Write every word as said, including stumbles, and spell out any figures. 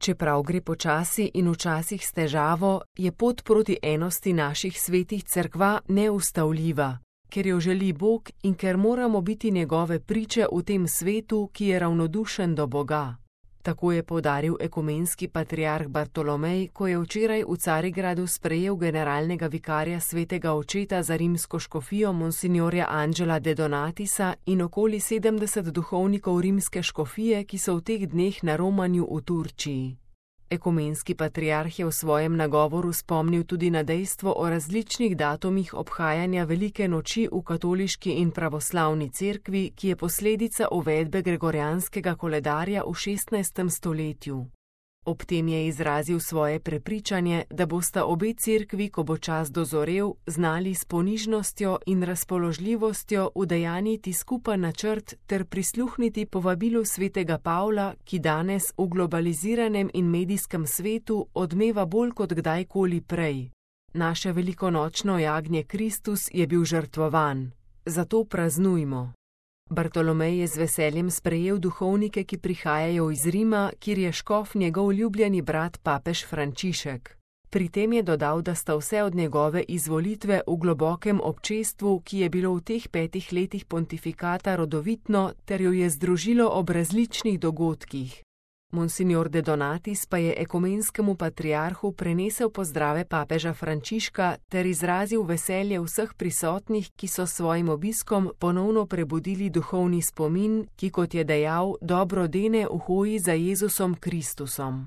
Čeprav gre počasi in včasih s težavo, je pot proti enosti naših svetih cerkva neustavljiva, ker jo želi Bog in ker moramo biti njegove priče v tem svetu, ki je ravnodušen do Boga. Tako je poudaril ekumenski patriarh Bartolomej, ko je včeraj v Carigradu sprejel generalnega vikarja svetega očeta za rimsko škofijo monsignorja Angela de Donatisa in okoli sedemdeset duhovnikov rimske škofije, ki so v teh dneh na romanju v Turčiji. Ekumenski patriarh je v svojem nagovoru spomnil tudi na dejstvo o različnih datumih obhajanja velike noči v katoliški in pravoslavni cerkvi, ki je posledica uvedbe gregorijanskega koledarja v šestnajstem stoletju. Ob tem je izrazil svoje prepričanje, da bosta obe cerkvi, ko bo čas dozorel, znali s ponižnostjo in razpoložljivostjo udejanjiti skupen načrt ter prisluhniti povabilu svetega Pavla, ki danes v globaliziranem in medijskem svetu odmeva bolj kot kdajkoli prej. Naše velikonočno jagnje Kristus je bil žrtvovan, zato praznujmo. Bartolomej je z veseljem sprejel duhovnike, ki prihajajo iz Rima, kjer je škof njegov ljubljeni brat papež Frančišek. Pri tem je dodal, da sta vse od njegove izvolitve v globokem občestvu, ki je bilo v teh petih letih pontifikata rodovitno, ter jo je združilo ob različnih dogodkih. Monsignor de Donatis pa je ekumenskemu patriarhu prenesel pozdrave papeža Frančiška ter izrazil veselje vseh prisotnih, ki so s svojim obiskom ponovno prebudili duhovni spomin, ki, kot je dejal, dobro dene v hoji za Jezusom Kristusom.